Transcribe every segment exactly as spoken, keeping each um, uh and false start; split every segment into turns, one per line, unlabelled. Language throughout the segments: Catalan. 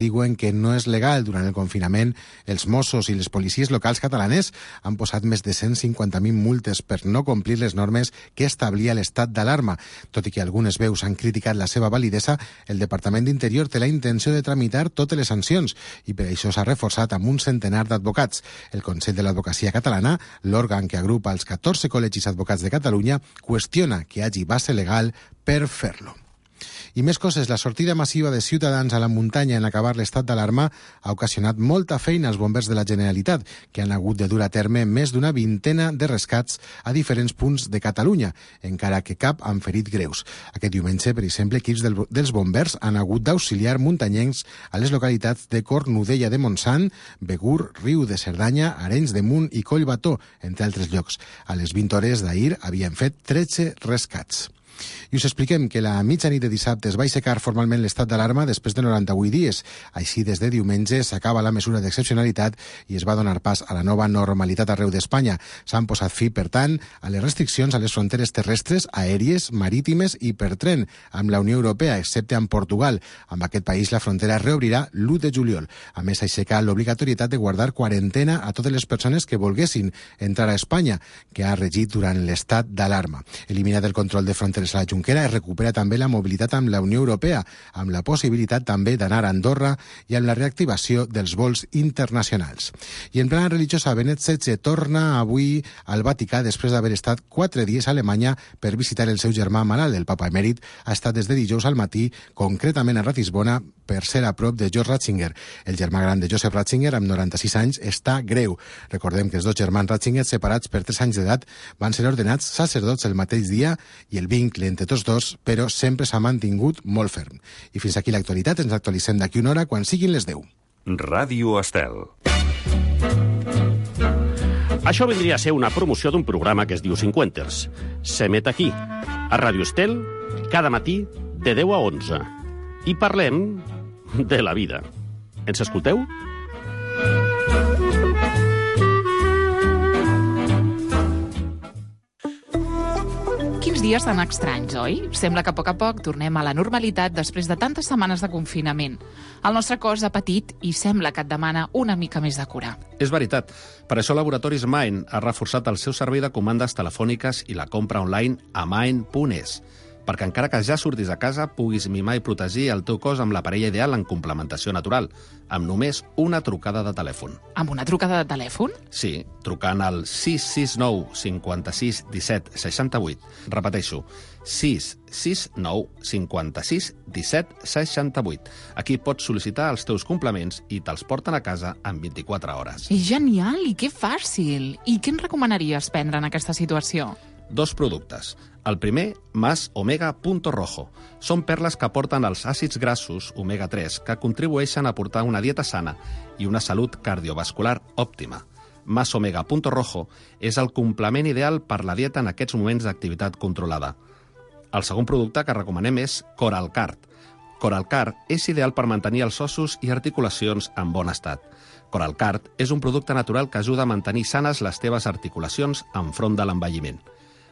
diuen que no és legal. Durant el confinament, els Mossos i les policies locals catalanes han posat més de cent cinquanta mil multes per no complir les normes que establia l'estat d'alarma. Tot i que algunes veus han criticat la seva validesa, el Departament d'Interior té la intenció de tramitar totes les sancions i per això s'ha reforçat amb un centenar d'advocats. El Consell de l'Advocacia Catalana, l'òrgan que agrupa els catorze col·legis advocats de Catalunya, qüestiona que hi hagi base legal per fer-lo. I més coses, la sortida massiva de ciutadans a la muntanya en acabar l'estat d'alarma ha ocasionat molta feina als bombers de la Generalitat, que han hagut de dur a terme més d'una vintena de rescats a diferents punts de Catalunya, encara que cap han ferit greus. Aquest diumenge, per exemple, equips del, dels bombers han hagut d'auxiliar muntanyencs a les localitats de Cornudella de Montsant, Begur, Riu de Cerdanya, Arenys de Munt i Collbató, entre altres llocs. A les vint hores d'ahir havien fet tretze rescats. I us expliquem que la mitjanit de dissabte es va aixecar formalment l'estat d'alarma després de noranta-vuit dies. Així, des de diumenge s'acaba la mesura d'excepcionalitat i es va donar pas a la nova normalitat arreu d'Espanya. S'han posat fi, per tant, a les restriccions a les fronteres terrestres, aèries, marítimes i per tren amb la Unió Europea, excepte amb Portugal. Amb aquest país la frontera es reobrirà l'u de juliol. A més, s'aixeca l'obligatorietat de guardar quarantena a totes les persones que volguessin entrar a Espanya, que ha regit durant l'estat d'alarma. Eliminat el control de fronteres a la Junquera, es recupera també la mobilitat amb la Unió Europea, amb la possibilitat també d'anar a Andorra i amb la reactivació dels vols internacionals. I en plana religiosa, Benet setze torna avui al Vaticà després d'haver estat quatre dies a Alemanya per visitar el seu germà malalt. El papa emèrit ha estat des de dijous al matí, concretament a Ratisbona, per ser a prop de George Ratzinger. El germà gran de Joseph Ratzinger, amb noranta-sis anys, està greu. Recordem que els dos germans Ratzinger, separats per tres anys d'edat, van ser ordenats sacerdots el mateix dia i el vincle entre tots dos, però sempre s'ha mantingut molt ferm. I fins aquí l'actualitat. Ens actualitzem d'aquí una hora quan siguin les deu.
Ràdio Estel.
Això vindria a ser una promoció d'un programa que es diu Cinquenters. S'emet aquí, a Ràdio Estel, cada matí de deu a onze. I parlem de la vida. Ens escolteu?
Quins dies tan estranys, oi? Sembla que a poc a poc tornem a la normalitat després de tantes setmanes de confinament. El nostre cos ha patit i sembla que et demana una mica més de cura.
És veritat. Per això Laboratoris Mind ha reforçat el seu servei de comandes telefòniques i la compra online a mind punt es. Perquè encara que ja surtis a casa, puguis mimar i protegir el teu cos amb la parella ideal en complementació natural, amb només una trucada de telèfon.
Amb una trucada de telèfon?
Sí, trucant al sis sis nou cinquanta-sis disset seixanta-vuit. Repeteixo, sis sis nou cinquanta-sis disset seixanta-vuit. Aquí pots sol·licitar els teus complements i te'ls porten a casa en vint-i-quatre hores.
És genial i que fàcil! I què ens recomanaries prendre en aquesta situació?
Dos productes. El primer, Mas Omega Punto Rojo. Són perles que aporten els àcids grassos omega tres que contribueixen a portar una dieta sana i una salut cardiovascular òptima. Mas Omega Punto Rojo és el complement ideal per la dieta en aquests moments d'activitat controlada. El segon producte que recomanem és Coralcard. Coralcard és ideal per mantenir els ossos i articulacions en bon estat. Coralcard és un producte natural que ajuda a mantenir sanes les teves articulacions enfront de l'envelliment.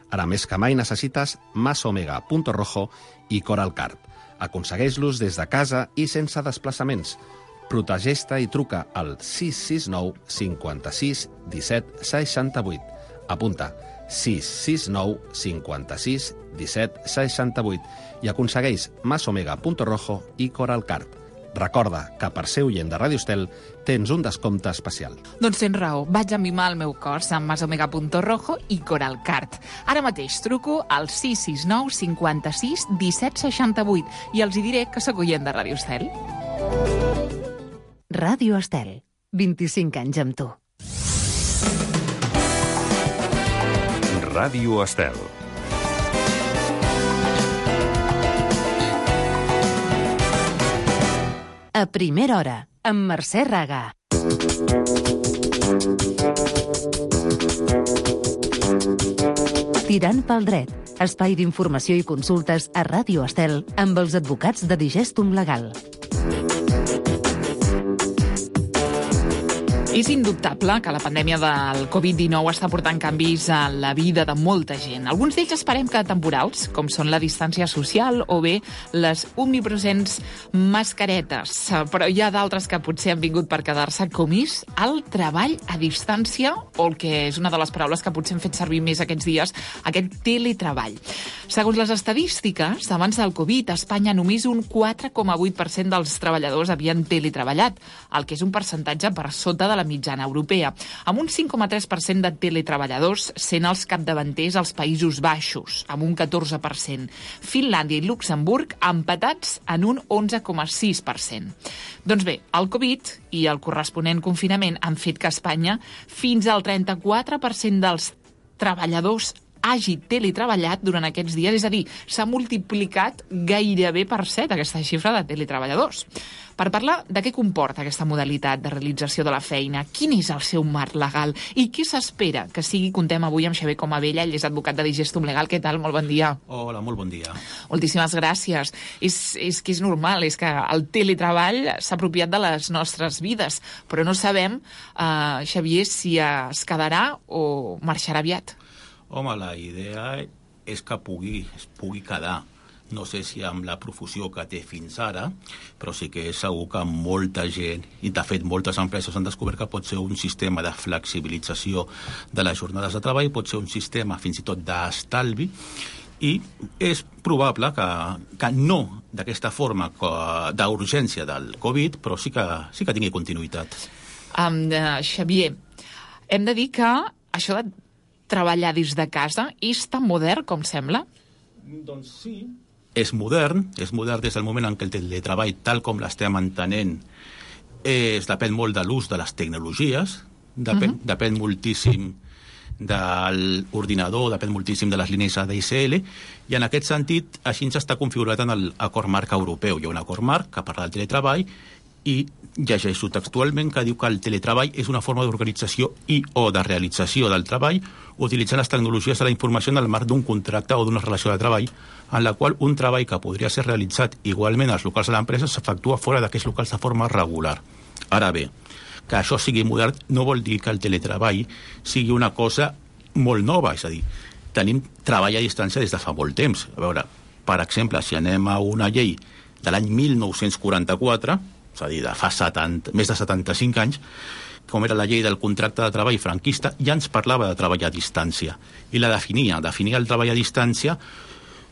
Ara més que mai necessites Mas Omega Punto Rojo i Coralcard. Aconsegueix-los des de casa i sense desplaçaments. Protegeix-te i truca al sis sis nou cinquanta-sis disset seixanta-vuit. Apunta sis sis nou cinquanta-sis disset seixanta-vuit i aconsegueix Mas Omega Punto Rojo i Coralcard. Recorda que per ser oient de Ràdio Estel tens un descompte especial.
Doncs tens raó, vaig a mimar el meu cos amb Mas Omega Punto Rojo i Coralcard. Ara mateix truco al sis sis nou cinquanta-sis disset seixanta-vuit i els hi diré que sóc oient de Ràdio Estel.
Ràdio Estel, vint-i-cinc anys amb tu.
Ràdio Estel.
A primera hora, amb Mercè Raga. Tirant pel dret, espai d'informació i consultes a Ràdio Estel amb els advocats de Digestum Legal.
És indubtable que la pandèmia del covid dinou està portant canvis a la vida de molta gent. Alguns d'ells esperem que temporals, com són la distància social o bé les omnipresents mascaretes. Però hi ha d'altres que potser han vingut per quedar-se, com és el treball a distància, o el que és una de les paraules que potser hem fet servir més aquests dies, aquest teletreball. Segons les estadístiques, abans del Covid, a Espanya només un quatre coma vuit per cent dels treballadors havien teletreballat, el que és un percentatge per sota de la mitjana europea, amb un cinc coma tres per cent de teletreballadors sent els capdavanters als Països Baixos, amb un catorze per cent. Finlàndia i Luxemburg empatats en un onze coma sis per cent. Doncs bé, el Covid i el corresponent confinament han fet que a Espanya fins al trenta-quatre per cent dels treballadors hagi teletreballat durant aquests dies, és a dir, s'ha multiplicat gairebé per set aquesta xifra de teletreballadors. Per parlar de què comporta aquesta modalitat de realització de la feina, quin és el seu marc legal i què s'espera que sigui, contem avui amb Xavier Comabella, ell és advocat de Digestum Legal. Què tal? Molt bon dia.
Hola, molt bon dia.
Moltíssimes gràcies. És, és que és normal, és que el teletreball s'ha apropiat de les nostres vides, però no sabem, eh, Xavier, si es quedarà o marxarà aviat.
Home, la idea és que pugui, es pugui quedar. No sé si amb la profusió que té fins ara, però sí que és segur que molta gent, i de fet moltes empreses han descobert que pot ser un sistema de flexibilització de les jornades de treball, pot ser un sistema fins i tot d'estalvi, i és probable que, que no d'aquesta forma d'urgència del Covid, però sí que, sí que tingui continuïtat.
Um, uh, Xavier, hem de dir que això de treballar des de casa és tan modern com sembla?
Doncs sí. És modern, és modern des del moment en què el teletreball, tal com l'estem entenent, és, depèn molt de l'ús de les tecnologies, depèn, uh-huh. depèn moltíssim de l'ordinador, depèn moltíssim de les línies A D S L, i en aquest sentit així està configurat en l'acord marc europeu. Hi ha un acord marc que parla del teletreball i llegeixo textualment que diu que el teletreball és una forma d'organització i o de realització del treball utilitzant les tecnologies de la informació en el marc d'un contracte o d'una relació de treball en la qual un treball que podria ser realitzat igualment als locals de l'empresa s'efectua fora d'aquests locals de forma regular. Ara bé, que això sigui modern no vol dir que el teletreball sigui una cosa molt nova, és a dir, tenim treball a distància des de fa molt temps. A veure, per exemple, si anem a una llei de l'any mil nou-cents quaranta-quatre, és a dir, de fa setanta, més de setanta-cinc anys, com era la llei del contracte de treball franquista, ja ens parlava de treball a distància. I la definia, definia el treball a distància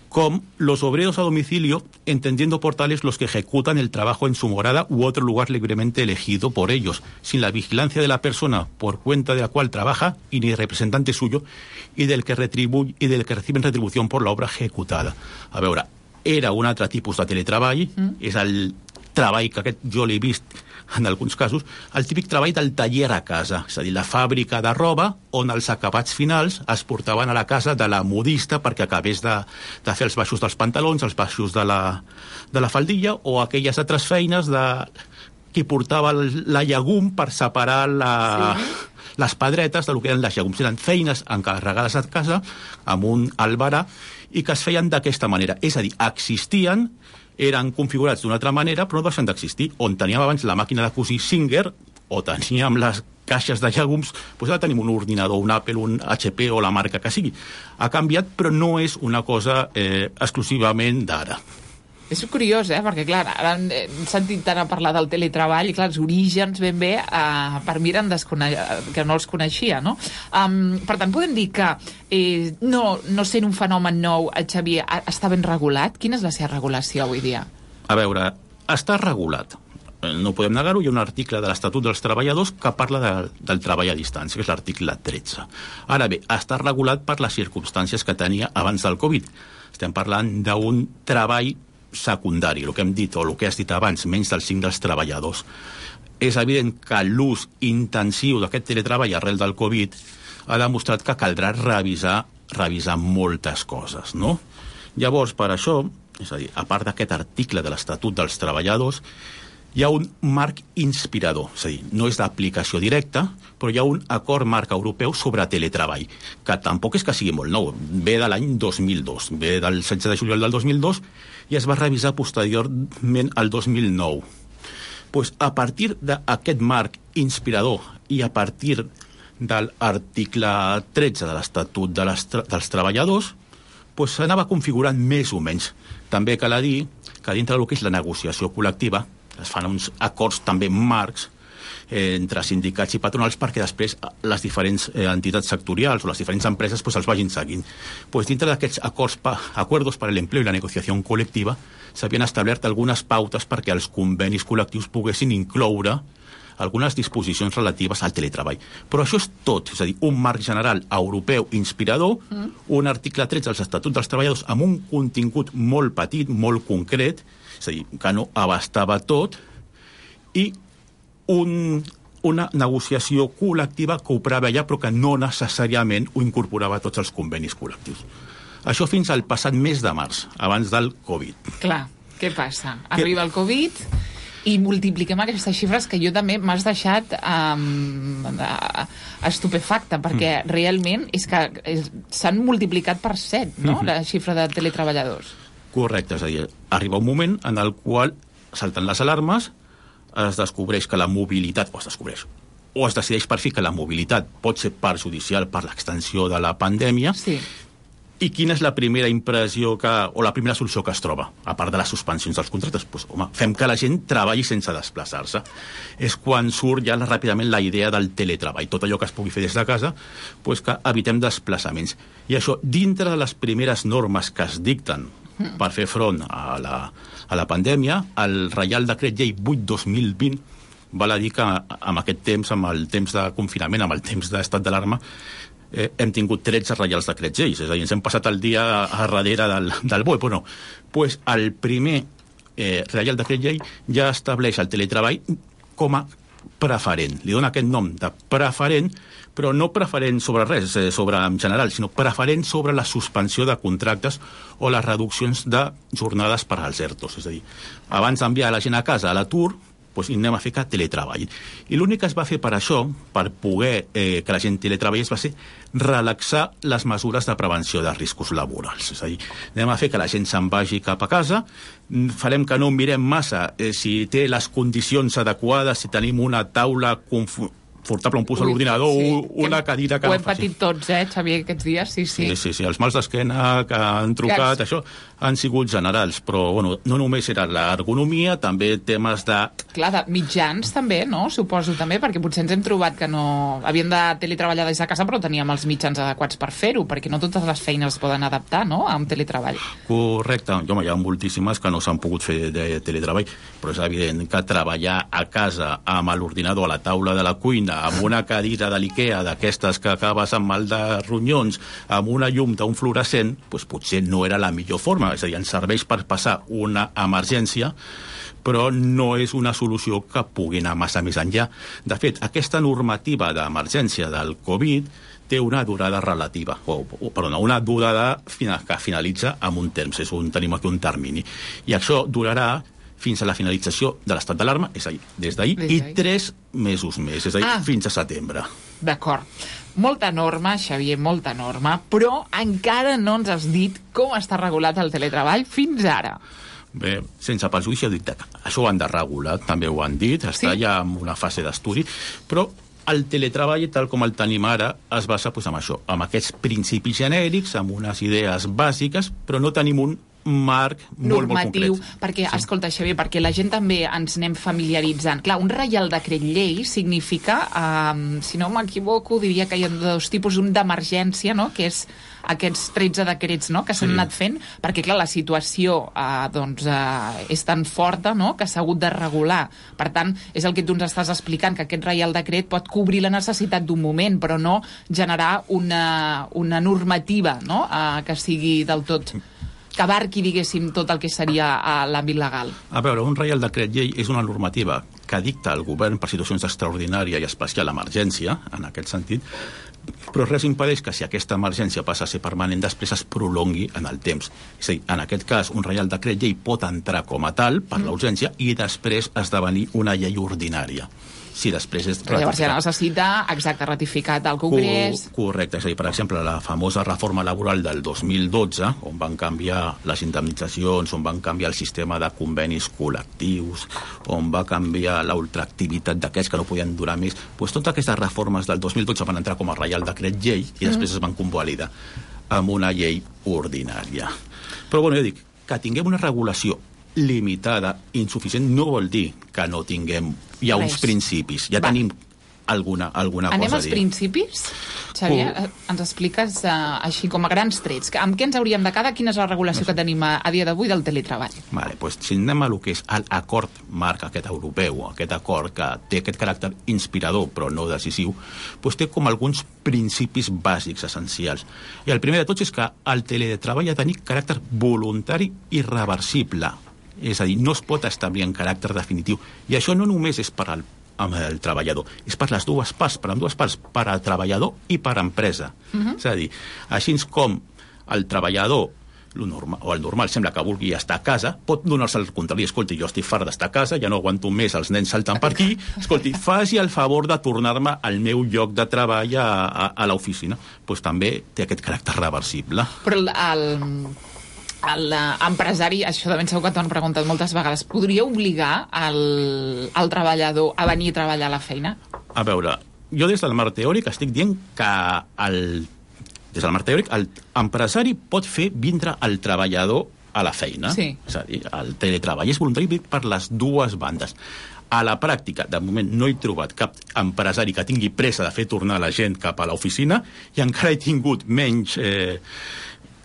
com los obreros a domicilio, entendiendo por tales los que ejecutan el trabajo en su morada u otro lugar libremente elegido por ellos, sin la vigilancia de la persona por cuenta de la cual trabaja y ni representante suyo, y del que retribuye, y del que reciben retribución por la obra ejecutada. A veure, era un altre tipus de teletreball, mm. és el treball que aquest jo l'he vist en alguns casos, el típic treball del taller a casa, és a dir, la fàbrica de roba on els acabats finals es portaven a la casa de la modista perquè acabés de, de fer els baixos dels pantalons, els baixos de la, de la faldilla, o aquelles altres feines de qui portava la llegum per separar la, sí. les pedretes del que eren les llegums. Eren feines encarregades a casa amb un albarà i que es feien d'aquesta manera. És a dir, existien, eren configurats d'una altra manera, però no deixen d'existir. On teníem abans la màquina de cosir Singer, o teníem les caixes de llegums, doncs ara tenim un ordinador, un Apple, un H P o la marca que sigui. Ha canviat, però no és una cosa eh, exclusivament d'ara.
És curiós, eh? Perquè, clar, ara hem sentit tant a parlar del teletreball i, clar, els orígens ben bé, eh, per mi eren descone... que no els coneixia, no? Um, per tant, podem dir que eh, no, no sent un fenomen nou, el Xavier, està ben regulat? Quina és la seva regulació avui dia?
A veure, està regulat. No podem negar-ho, hi ha un article de l'Estatut dels Treballadors que parla de, del treball a distància, que és l'article tretze. Ara bé, està regulat per les circumstàncies que tenia abans del Covid. Estem parlant d'un treball secundari, el que hem dit, o el que has dit abans, menys del cinc dels treballadors. És evident que l'ús intensiu d'aquest teletreball arrel del Covid ha demostrat que caldrà revisar, revisar moltes coses, no? Llavors, per això, és a dir, a part d'aquest article de l'Estatut dels Treballadors, hi ha un marc inspirador, és a dir, no és d'aplicació directa, però hi ha un acord marc europeu sobre teletreball, que tampoc és que sigui molt nou, ve de l'any dos mil dos, ve del setze de juliol del dos mil dos i es va revisar posteriorment al dos mil nou. pues, a partir d'aquest marc inspirador i a partir de l'article tretze de l'Estatut de les tra dels Treballadors, pues, s'anava configurant més o menys. També cal dir que dintre del que és la negociació col·lectiva es fan uns acords també marcs eh, entre sindicats i patronals perquè després les diferents eh, entitats sectorials o les diferents empreses pues, els vagin seguint. Pues, dintre d'aquests acords pa, acuerdos per a l'empleo i la negociació col·lectiva s'havien establert algunes pautes perquè els convenis col·lectius poguessin incloure algunes disposicions relatives al teletreball. Però això és tot, és a dir, un marc general europeu inspirador, mm. un article tretze dels Estatuts dels Treballadors amb un contingut molt petit, molt concret, és a dir, que no abastava tot, i un, una negociació col·lectiva que ho preveia però que no necessàriament ho incorporava a tots els convenis col·lectius. Això fins al passat mes de març, abans del Covid.
Clar, què passa? Arriba el Covid i multipliquem aquestes xifres que jo també m'has deixat um, estupefacta, perquè mm. realment és que s'han multiplicat per set, no?, mm-hmm. la xifra de teletreballadors.
Correcte, és a dir, arriba un moment en el qual salten les alarmes, es descobreix que la mobilitat, o es descobreix, o es decideix per fi que la mobilitat pot ser perjudicial per l'extensió de la pandèmia,
sí.
I quina és la primera impressió que, o la primera solució que es troba, a part de les suspensions dels contractes? Pues, home, fem que la gent treballi sense desplaçar-se. És quan surt ja ràpidament la idea del teletreball, tot allò que es pugui fer des de casa, pues que evitem desplaçaments. I això, dintre de les primeres normes que es dicten per fer front a la, a la pandèmia, el Reial Decret Llei vuit dos mil vint val a dir que amb aquest temps, amb el temps de confinament, amb el temps d'estat d'alarma, eh, hem tingut tretze reials decrets lleis, és a dir, ens hem passat el dia a darrere del, del B O E, però no. Pues el primer eh, Reial Decret Llei ja estableix el teletreball com a preferent. Li dona aquest nom de preferent, però no preferent sobre res, eh, sobre en general, sinó preferent sobre la suspensió de contractes o les reduccions de jornades per als ERTOs. És a dir, abans d'enviar la gent a casa a l'atur, doncs anem a fer que teletreball. I l'únic que es va fer per això, per poder eh, que la gent teletreballés, va ser relaxar les mesures de prevenció de riscos laborals. És a dir, anem a fer que la gent se'n vagi cap a casa, farem que no mirem massa eh, si té les condicions adequades, si tenim una taula confortable, un pus a l'ordinador, sí, una cadira que
ho
no
hem patit tots, eh, Xavier, aquests dies, sí, sí.
Sí, sí, sí, els mals d'esquena que han trucat, yes. Això han sigut generals, però bueno, no només era l'ergonomia, també temes de...
Clar, de mitjans també, no? Suposo també, perquè potser ens hem trobat que no... Havíem de teletreballar des de casa, però teníem els mitjans adequats per fer-ho, perquè no totes les feines es poden adaptar, no?, a un teletreball.
Correcte. Home, hi ha moltíssimes que no s'han pogut fer de teletreball, però és evident que treballar a casa amb l'ordinador a la taula de la cuina, amb una cadira de l'Ikea, d'aquestes que acabes amb mal de ronyons, amb una llum d'un fluorescent, doncs potser no era la millor forma. És a dir, ens serveix per passar una emergència, però no és una solució que pugui anar massa més enllà. De fet, aquesta normativa d'emergència del Covid té una durada relativa, o, o perdona, una durada final, que finalitza amb un temps, és un, tenim aquí un termini. I això durarà fins a la finalització de l'estat d'alarma, és a dir, des d'ahir, i tres mesos més, és a dir, ah. fins a setembre.
D'acord. Molta norma, Xavier, molta norma, però encara no ens has dit com està regulat el teletreball fins ara.
Bé, sense perjudici, he dit que això ho han de regular, també ho han dit, està sí? ja en una fase d'estudi, però el teletreball, tal com el tenim ara, es basa pues, en això, amb aquests principis genèrics, amb unes idees bàsiques, però no tenim un marc molt,
normatiu,
molt concret.
Perquè, sí. escolta, Xavier, perquè la gent també ens anem familiaritzant. Clar, un reial decret llei significa, eh, si no m'equivoco, diria que hi ha dos tipus, un d'emergència, no?, que és aquests tretze decrets, no?, que s'han sí. anat fent, perquè, clar, la situació eh, doncs, eh, és tan forta, no?, que s'ha hagut de regular. Per tant, és el que tu ens estàs explicant, que aquest reial decret pot cobrir la necessitat d'un moment, però no generar una, una normativa, no?, eh, que sigui del tot... que abarqui, diguéssim, tot el que seria a l'àmbit legal.
A veure, un reial decret llei és una normativa que dicta el govern per situacions d'extraordinària i especial emergència, en aquest sentit, però res impedeix que si aquesta emergència passa a ser permanent, després es prolongui en el temps. És a dir, en aquest cas, un reial decret llei pot entrar com a tal per mm. la urgència i després esdevenir una llei ordinària. si després és
Però llavors ja necessita, exacte, ratificat al Congrés.
Co correcte, és a dir, per exemple, la famosa reforma laboral del dos mil dotze, on van canviar les indemnitzacions, on van canviar el sistema de convenis col·lectius, on va canviar l'ultraactivitat d'aquests que no podien durar més, doncs totes aquestes reformes del dos mil dotze van entrar com a reial decret llei i després es van convalidar amb una llei ordinària. Però, bueno, jo dic, que tinguem una regulació limitada, insuficient, no vol dir que no tinguem ja uns principis. Ja Va. tenim alguna, alguna
Anem
cosa a
dir.
Anem
als principis? Xavier, uh. ens expliques uh, així com a grans trets. Amb què ens hauríem de quedar? Quina és la regulació no sé. que tenim a, a dia d'avui del teletreball?
Vale, pues, si anem a lo que és l'acord marc aquest europeu, aquest acord que té aquest caràcter inspirador però no decisiu, pues, té com alguns principis bàsics essencials. I el primer de tots és que el teletreball ha de tenir caràcter voluntari i reversible. És a dir, no es pot establir en caràcter definitiu. I això no només és per al amb el treballador, és per les dues parts, per amb dues parts, per al treballador i per a empresa. Uh-huh. És a dir, així com el treballador lo normal, o el normal sembla que vulgui estar a casa, pot donar-se el contrari, escolti, jo estic fart d'estar a casa, ja no aguanto més els nens saltant per aquí, escolti, faci el favor de tornar-me al meu lloc de treball a, a, a l'oficina. Doncs pues també té aquest caràcter reversible.
Però el... el... l'empresari, això de ben segur que t'ho han preguntat moltes vegades, podria obligar el, el treballador a venir a treballar a la feina?
A veure, jo des del marc teòric estic dient que el, des del marc teòric l'empresari pot fer vindre el treballador a la feina.
Sí.
És a dir, el teletreball és voluntari per les dues bandes. A la pràctica, de moment, no he trobat cap empresari que tingui pressa de fer tornar la gent cap a l'oficina i encara he tingut menys... Eh,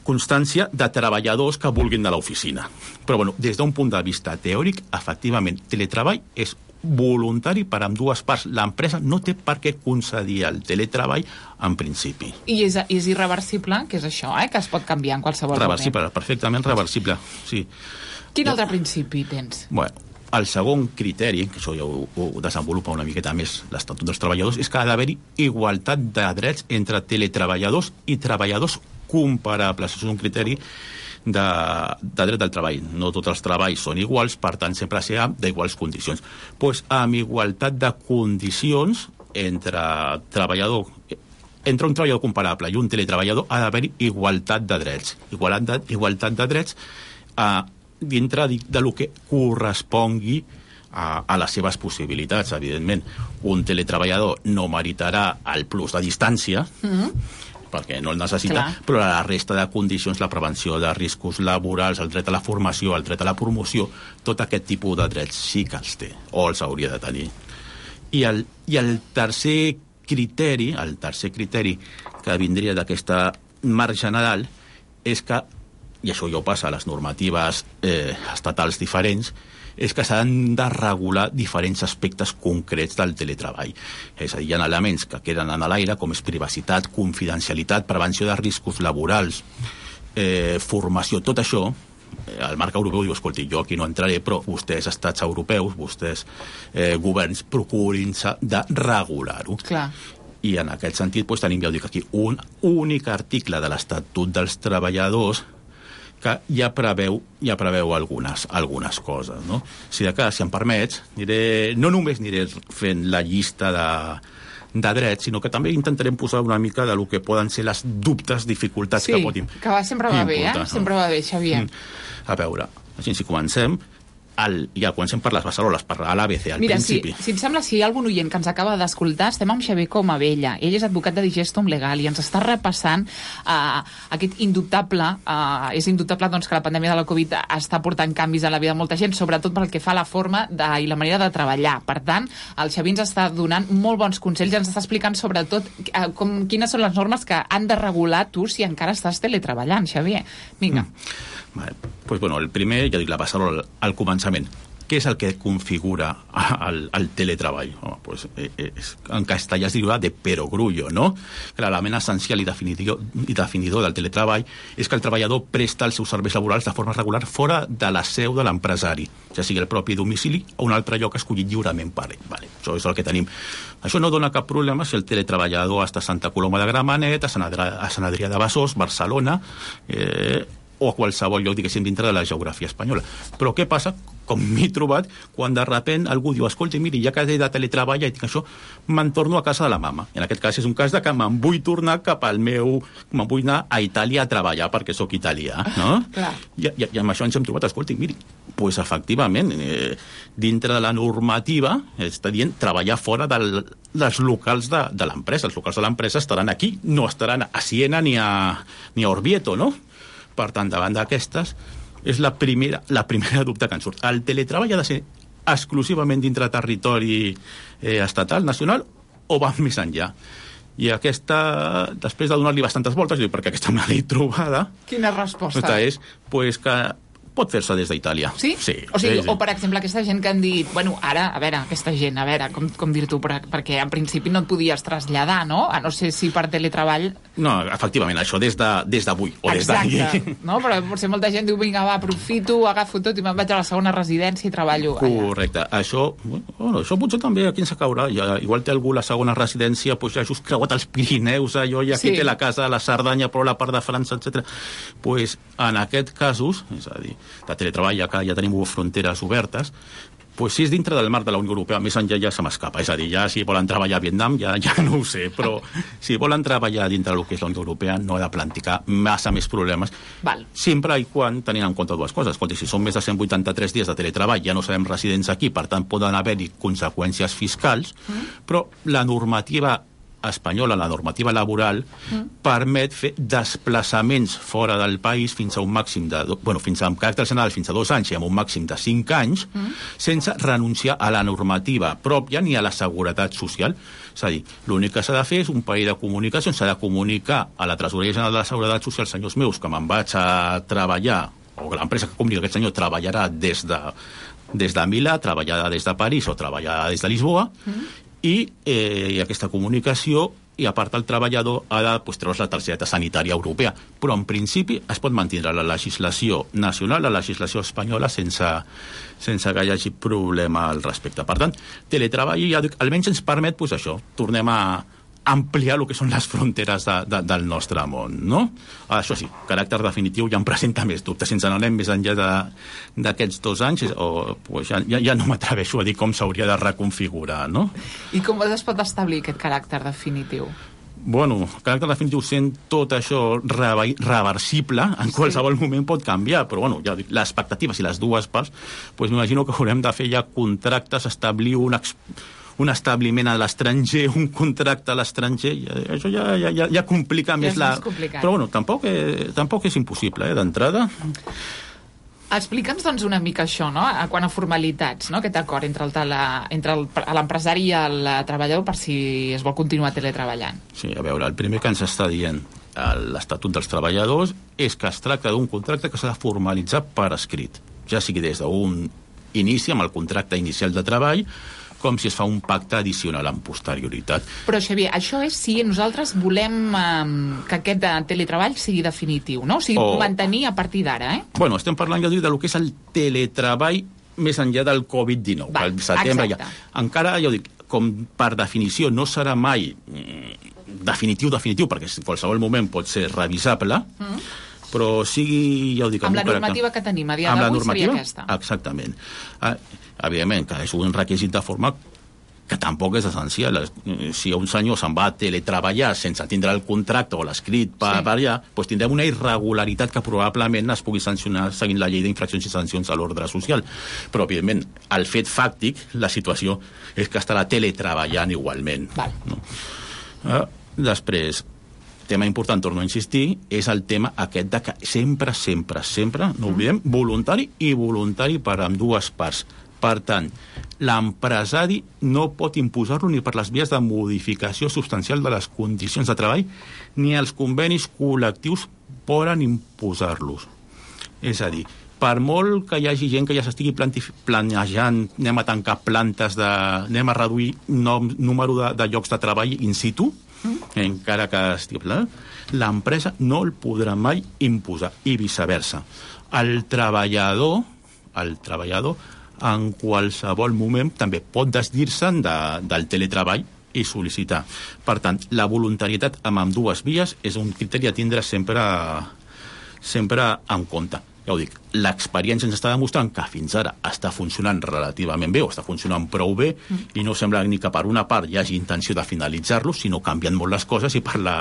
constància de treballadors que vulguin de l'oficina. Però, bueno, des d'un punt de vista teòric, efectivament, teletreball és voluntari per amb dues parts. L'empresa no té per què concedir el teletreball en principi.
I és, és irreversible, que és això, eh? Que es pot canviar en qualsevol
reversible,
moment.
Perfectament reversible, sí.
Quin ja. altre principi tens?
Bueno, el segon criteri, que això ja ho, ho desenvolupa una miqueta més l'Estatut dels Treballadors, és que ha d'haver-hi igualtat de drets entre teletreballadors i treballadors comparables. És un criteri de, de dret del treball. No tots els treballs són iguals, per tant, sempre serà d'iguals condicions. Pues, amb igualtat de condicions entre treballador, entre un treballador comparable i un teletreballador ha d'haver-hi igualtat de drets. Igualtat de, igualtat de drets a dintre de, de lo que correspongui a, a les seves possibilitats, evidentment. Un teletreballador no meritarà el plus de distància, mm-hmm. perquè no el necessita, Clar. però la resta de condicions, la prevenció de riscos laborals, el dret a la formació, el dret a la promoció, tot aquest tipus de drets sí que els té, o els hauria de tenir. I el, i el tercer criteri, el tercer criteri que vindria d'aquesta marc general és que, i això ja ho passa a les normatives eh, estatals diferents, és que s'han de regular diferents aspectes concrets del teletreball. És a dir, hi ha elements que queden en l'aire, com és privacitat, confidencialitat, prevenció de riscos laborals, eh, formació, tot això. El marc europeu diu, escolti, jo aquí no entraré, però vostès, estats europeus, vostès, eh, governs, procurin-se de regular-ho.
Clar.
I en aquest sentit doncs, tenim, ja ho dic aquí, un únic article de l'Estatut dels Treballadors que ja preveu, ja preveu algunes, algunes coses, no? Si de cas, si em permets, aniré, no només aniré fent la llista de, de drets, sinó que també intentarem posar una mica de lo que poden ser les dubtes, dificultats
sí,
que pot importar.
Sí, que va, sempre va bé, eh? Sempre va bé, Xavier.
A veure, així si comencem, el, ja comencem per les beceroles, per l'A B C, al
Mira,
principi.
Si, si et sembla, si hi ha algun oient que ens acaba d'escoltar, estem amb Xavier Comabella. Ell és advocat de Digestum Legal i ens està repassant uh, aquest indubtable, uh, és indubtable doncs, que la pandèmia de la Covid està portant canvis a la vida de molta gent, sobretot pel que fa a la forma de, i la manera de treballar. Per tant, el Xavier ens està donant molt bons consells, ens està explicant sobretot uh, com, quines són les normes que han de regular tu si encara estàs teletreballant, Xavier. Vinga.
Mm. Vale. Pues, bueno, el primer, ja dic, la passaré al, al començament. Què és el que configura el, el teletreball? Oh, pues, és, en castellà es diria de perogrullo, no? L'element essencial i definidor, i definidor del teletreball és que el treballador presta els seus serveis laborals de forma regular fora de la seu de l'empresari, ja sigui el propi domicili o un altre lloc escollit lliurement per ell. Vale, això és el que tenim. Això no dona cap problema si el teletreballador està a Santa Coloma de Gramenet, a Sant Adrià, a Sant Adrià de Besòs, Barcelona, eh, o a qualsevol lloc, diguéssim, dintre de la geografia espanyola. Però què passa, com m'he trobat quan de repent algú diu, escolta, miri, ja que he de teletreballar i tinc això, me'n torno a casa de la mama. I en aquest cas és un cas de que me'n vull tornar cap al meu... me'n vull anar a Itàlia a treballar perquè sóc italià, no?
Clar.
I, i, I amb això ens hem trobat, escolta, miri, pues efectivament, eh, dintre de la normativa està dient treballar fora del, dels locals de, de l'empresa. Els locals de l'empresa estaran aquí, no estaran a Siena ni a, ni a Orvieto, no? Per tant, davant d'aquestes, és la primera, la primera dubte que ens surt. El teletreball ha de ser exclusivament dintre territori eh, estatal, nacional, o va més enllà? I aquesta, després de donar-li bastantes voltes, dic, perquè aquesta me l'he trobada...
Quina resposta?
És pues, que pot fer-se des d'Itàlia.
Sí?
Sí.
O sigui,
sí, sí.
O per exemple, aquesta gent que han dit, bueno, ara, a veure, aquesta gent, a veure, com, com dir-t'ho, perquè en principi no et podies traslladar, no? A no ser si per teletreball...
No, efectivament, això des de, des d'avui, o des d'ahir.
Exacte, no? Però potser molta gent diu, vinga, va, aprofito, agafo tot i me'n vaig a la segona residència i treballo allà.
Correcte. Això, bueno, això potser també aquí ens caurà. Ja, igual té algú la segona residència, doncs ja just creuat els Pirineus, allò, i aquí sí. Té la casa, la Cerdanya, però la part de França, etcètera. Pues, en aquest casos, és a dir, de teletreball, ja que ja tenim fronteres obertes, pues si és dintre del marc de la Unió Europea, més enllà ja se m'escapa. És a dir, ja si volen treballar a Vietnam, ja, ja no ho sé, però si volen treballar dintre del que és la Unió Europea, no ha de planticar massa més problemes.
Val.
Sempre i quan tenint en compte dues coses. Escolta, si són més de cent vuitanta-tres dies de teletreball, ja no serem residents aquí, per tant poden haver-hi conseqüències fiscals, mm. però la normativa espanyola, la normativa laboral, mm. permet fer desplaçaments fora del país fins a un màxim de... Bueno, fins a, amb caràcter general fins a dos anys i amb un màxim de cinc anys, mm. sense renunciar a la normativa pròpia ni a la seguretat social. És a dir, l'únic que s'ha de fer és un parell de comunicacions, s'ha de comunicar a la Tresoreria General de la Seguretat Social, senyors meus, que me'n vaig a treballar, o que l'empresa que comunica aquest senyor treballarà des de, des de Milà, treballarà des de París o treballarà des de Lisboa, mm. i eh, aquesta comunicació, i a part el treballador ha de pues, treure's la targeta sanitària europea, però en principi es pot mantenir la legislació nacional, la legislació espanyola, sense, sense que hi hagi problema al respecte. Per tant, teletreball ja, almenys ens permet pues, això, tornem a ampliar el que són les fronteres de, de, del nostre món, no? Això sí, caràcter definitiu ja em presenta més dubtes. Si ens n'anem més enllà d'aquests dos anys, o, pues ja, ja, ja no m'atreveixo a dir com s'hauria de reconfigurar, no?
I com es pot establir aquest caràcter definitiu?
Bueno, caràcter definitiu sent tot això reversible, en qualsevol sí. moment pot canviar, però bueno, ja dic, l'expectativa, si les dues parts, pues m'imagino que haurem de fer ja contractes, establir un, un establiment a l'estranger, un contracte a l'estranger, això ja, ja, ja, ja complica ja més la... Però bueno, tampoc, eh, tampoc és impossible, eh, d'entrada.
Explica'ns, doncs, una mica això, no?, a quant a formalitats, no?, aquest acord entre el tele, entre l'empresari i el treballador per si es vol continuar teletreballant.
Sí, a veure, el primer que ens està dient l'Estatut dels Treballadors és que es tracta d'un contracte que s'ha de formalitzar per escrit, ja sigui des d'un inici amb el contracte inicial de treball, com si es fa un pacte addicional amb posterioritat.
Però, Xavier, això és si nosaltres volem eh, que aquest teletreball sigui definitiu, no? O sigui, o... mantenir a partir d'ara, eh?
Bueno, estem parlant, ja dic, del que és el teletreball més enllà del covid dinou. Va, al setembre ja. Encara, ja dic, com per definició no serà mai definitiu, definitiu, perquè en qualsevol moment pot ser revisable, mm. però sigui, ja ho dic...
Amb la normativa que tenim a dia d'avui seria aquesta.
Exactament. Ah, evidentment, que és un requisit de forma que tampoc és essencial. Si un senyor se'n va a teletreballar sense tindre el contracte o l'escrit per, sí. per allà, doncs tindrem una irregularitat que probablement es pugui sancionar seguint la llei d'infraccions i sancions a l'ordre social. Però, evidentment, el fet fàctic, la situació és que estarà teletreballant igualment.
Val.
No? Ah, després, tema important, torno a insistir, és el tema aquest de que sempre, sempre, sempre, no oblidem, voluntari i voluntari per ambdues parts. Per tant, l'empresari no pot imposar-lo ni per les vies de modificació substancial de les condicions de treball, ni els convenis col·lectius poden imposar-los. És a dir, per molt que hi hagi gent que ja s'estigui planejant, anem a tancar plantes, de, anem a reduir nom, número de, de llocs de treball in situ, mm. encara que estigui planejant, l'empresa no el podrà mai imposar, i viceversa. El treballador, el treballador, en qualsevol moment també pot desdir-se'n de, del teletreball i sol·licitar. Per tant, la voluntarietat amb ambdues vies és un criteri a tindre sempre, sempre en compte. ja ho dic, l'experiència ens està demostrant que fins ara està funcionant relativament bé o està funcionant prou bé mm. i no sembla ni que per una part hi hagi intenció de finalitzar-lo, sinó canvien molt les coses i per la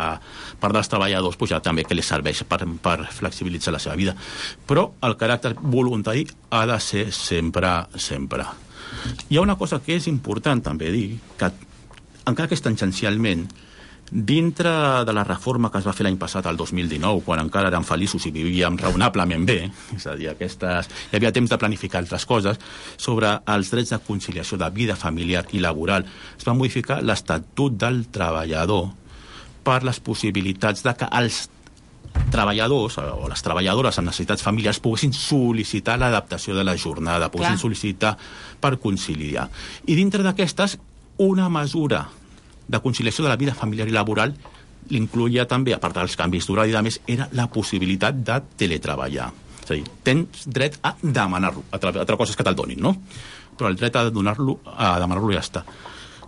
part dels treballadors pues, ja també que les serveix per, per flexibilitzar la seva vida. Però el caràcter voluntari ha de ser sempre, sempre. Hi ha una cosa que és important també dir, que encara que és tangencialment, dintre de la reforma que es va fer l'any passat, el dos mil dinou, quan encara érem feliços i vivíem raonablement bé, és a dir, aquestes, hi havia temps de planificar altres coses, sobre els drets de conciliació de vida familiar i laboral, es va modificar l'Estatut del Treballador per les possibilitats de que els treballadors o les treballadores amb necessitats familiars poguessin sol·licitar l'adaptació de la jornada, poguessin Clar. sol·licitar per conciliar. I dintre d'aquestes, una mesura de conciliació de la vida familiar i laboral l'incluïa també, a part dels canvis d'horari i de més, era la possibilitat de teletreballar. És a dir, tens dret a demanar-lo. Altra cosa és que te'l donin, no? Però el dret a donar-lo, a demanar-lo ja està.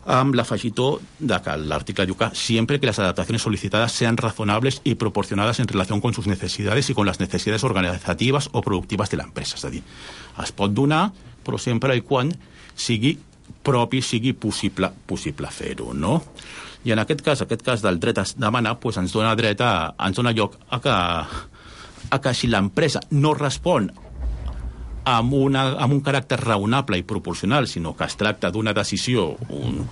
Amb l'afegitó de que l'article diu que siempre que las adaptaciones solicitadas sean razonables y proporcionadas en relación con sus necesidades y con las necesidades organizativas o productivas de la empresa. És a dir, es pot donar, però sempre i quan sigui propi, sigui possible, possible fer-ho, no? I en aquest cas, aquest cas del dret a demanar, pues ens dona dret a, ens dona lloc a que, a que si l'empresa no respon amb, una, amb un caràcter raonable i proporcional, sinó que es tracta d'una decisió, un,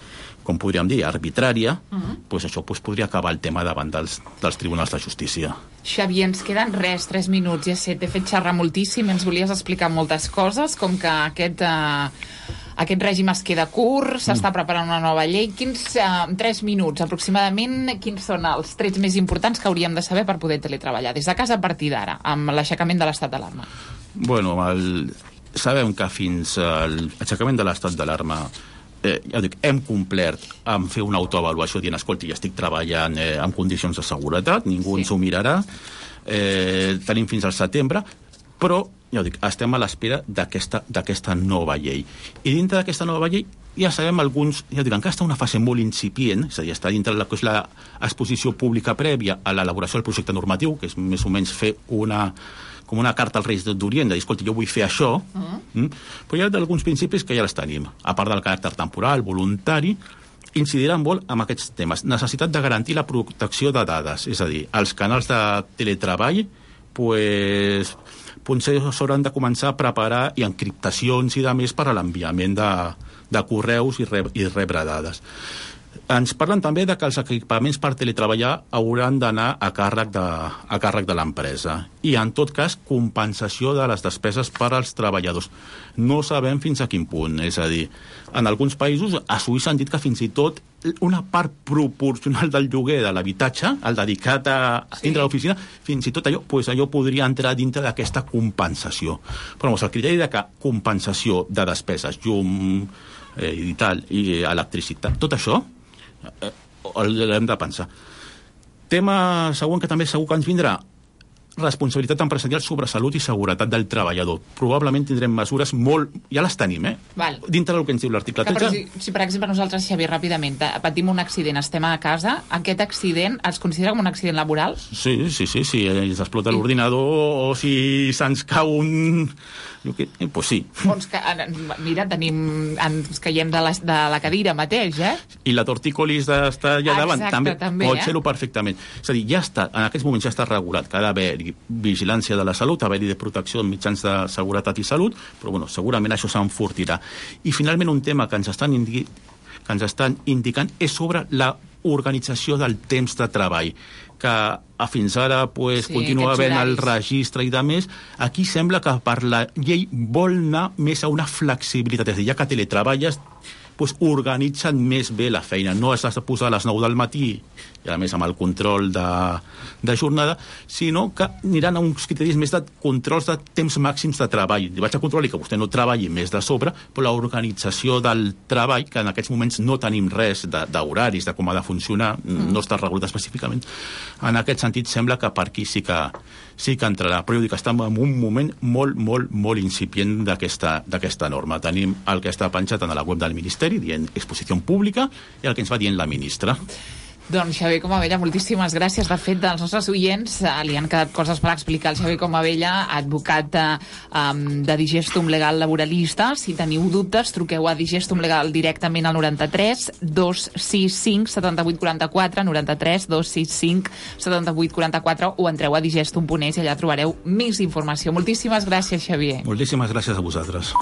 com podríem dir, arbitrària, uh-huh. pues això pues, podria acabar el tema davant dels, dels tribunals de justícia.
Xavi, ens queden res, tres minuts, ja sé, t'he fet xerrar moltíssim, ens volies explicar moltes coses, com que aquest... Eh... Aquest règim es queda curt, s'està mm. preparant una nova llei. Quins, uh, tres minuts aproximadament, quins són els trets més importants que hauríem de saber per poder teletreballar des de casa a partir d'ara, amb l'aixecament de l'estat d'alarma?
Bueno, el... sabem que fins al aixecament de l'estat d'alarma eh, ja dic, hem complert amb fer una autoavaluació dient, escolta, ja estic treballant eh, en condicions de seguretat, ningú sí. ens ho mirarà, eh, tenim fins al setembre, però ja ho dic, estem a l'espera d'aquesta nova llei. I dintre d'aquesta nova llei ja sabem alguns, ja dic, encara està una fase molt incipient, és a dir, està dintre de l'exposició pública prèvia a l'elaboració del projecte normatiu, que és més o menys fer una, com una carta als Reis d'Orient, de dir, escolta, jo vull fer això, uh-huh. mm? però hi ha alguns principis que ja els tenim, a part del caràcter temporal, voluntari, incidiran molt en aquests temes. Necessitat de garantir la protecció de dades, és a dir, els canals de teletreball, pues... potser s'hauran de començar a preparar i encriptacions i de més per a l'enviament de, de correus i, re, i rebre dades. Ens parlen també de que els equipaments per teletreballar hauran d'anar a càrrec de, a càrrec de l'empresa i, en tot cas, compensació de les despeses per als treballadors. No sabem fins a quin punt, és a dir, en alguns països, a Suïssa han dit que fins i tot una part proporcional del lloguer de l'habitatge, el dedicat a dintre de l'oficina, fins i tot allò, pues allò podria entrar dintre d'aquesta compensació. Però el criteri de que compensació de despeses, llum eh, i tal, i electricitat, tot això eh, l'hem de pensar. Tema següent que també segur que ens vindrà, responsabilitat empresarial sobre salut i seguretat del treballador. Probablement tindrem mesures molt... Ja les tenim, eh?
Val.
Dintre del que ens diu l'article tretze.
Si, si, per exemple, nosaltres, Xavier, ràpidament, patim un accident, estem a casa, aquest accident es considera com un accident laboral?
Sí, sí, sí. Si ens explota l'ordinador o si se'ns cau un... Eh, pues sí.
Doncs que, mira, tenim, ens caiem de la, de la cadira mateix, eh?
I la tortícolis d'estar allà davant.
Exacte,
també,
també
pot
eh?
ser-ho perfectament. És a dir, ja està, en aquests moments ja està regulat que ha d'haver vigilància de la salut, haver-hi de protecció en mitjans de seguretat i salut, però bueno, segurament això s'enfortirà. I finalment un tema que ens estan, indi que ens estan indicant és sobre la organització del temps de treball, que fins ara pues, sí, continua havent el registre i de més. Aquí sembla que per la llei vol anar més a una flexibilitat, és a dir, ja que teletreballes, pues, organitzen més bé la feina. No has de posar a les nou del matí, i a més amb el control de, de jornada, sinó que aniran a uns criteris més de controls de temps màxims de treball. Vaig a controlar que vostè no treballi més de sobre, però l'organització del treball, que en aquests moments no tenim res d'horaris, de, de com ha de funcionar, mm. no està regulat específicament. En aquest sentit, sembla que per aquí sí que, sí que entrarà. Però jo dic que estem en un moment molt, molt, molt incipient d'aquesta norma. Tenim el que està penjat en la web del Ministeri, dient exposició pública, i el que ens va dient la ministra.
Doncs Xavier Comabella, moltíssimes gràcies. De fet, dels nostres oients eh, li han quedat coses per explicar al Xavier Comabella, advocat eh, um, de Digestum Legal Laboralista. Si teniu dubtes, truqueu a Digestum Legal directament al noranta-tres dos sis cinc setanta-vuit quaranta-quatre, noranta-tres dos sis cinc setanta-vuit quaranta-quatre, o entreu a digestum punt es i allà trobareu més informació. Moltíssimes gràcies, Xavier.
Moltíssimes gràcies a vosaltres.